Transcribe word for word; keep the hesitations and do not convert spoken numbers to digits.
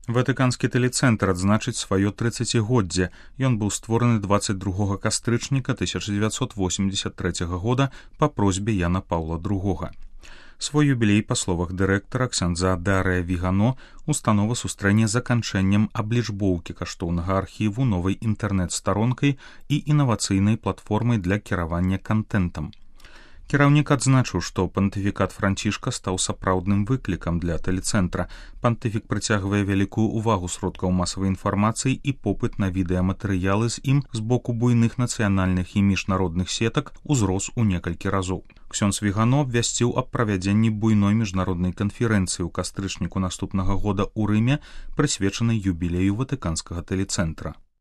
Ватыканскі тэлецэнтр адзначыць сваё трыццацігоддзе. Ён быў створаны дваццаць другога кастрычніка тысяча дзевяцьсот восемьдесят трэцяга года па просьбе Яна Паўла другога. Свой юбілей, па словах дырэктара ксяндза Дарыя Вігано, установа сустрэне заканчэннем аблічбоўкі каштоўнага архіву новай інтэрнэт-старонкай і інавацыйнай платформай для кіравання кантэнтам. Кіраўнік адзначыў, што пантыфікат Францішка стаў сапраўдным выклікам для тэлецэнтра. Пантыфік прыцягвае вялікую ўвагу сродкаў масавай інфармацыі і попыт на відэаматэрыялы з ім з боку буйных нацыянальных і міжнародных сетак узрос у некалькі разоў. Ксёндз Вігано абвясціў аб правядзенні буйной міжнароднай канферэнцыі ў кастрычніку наступнага года ў Рыме, прысвечанай юбілею ватыканскага тэлецэнтра.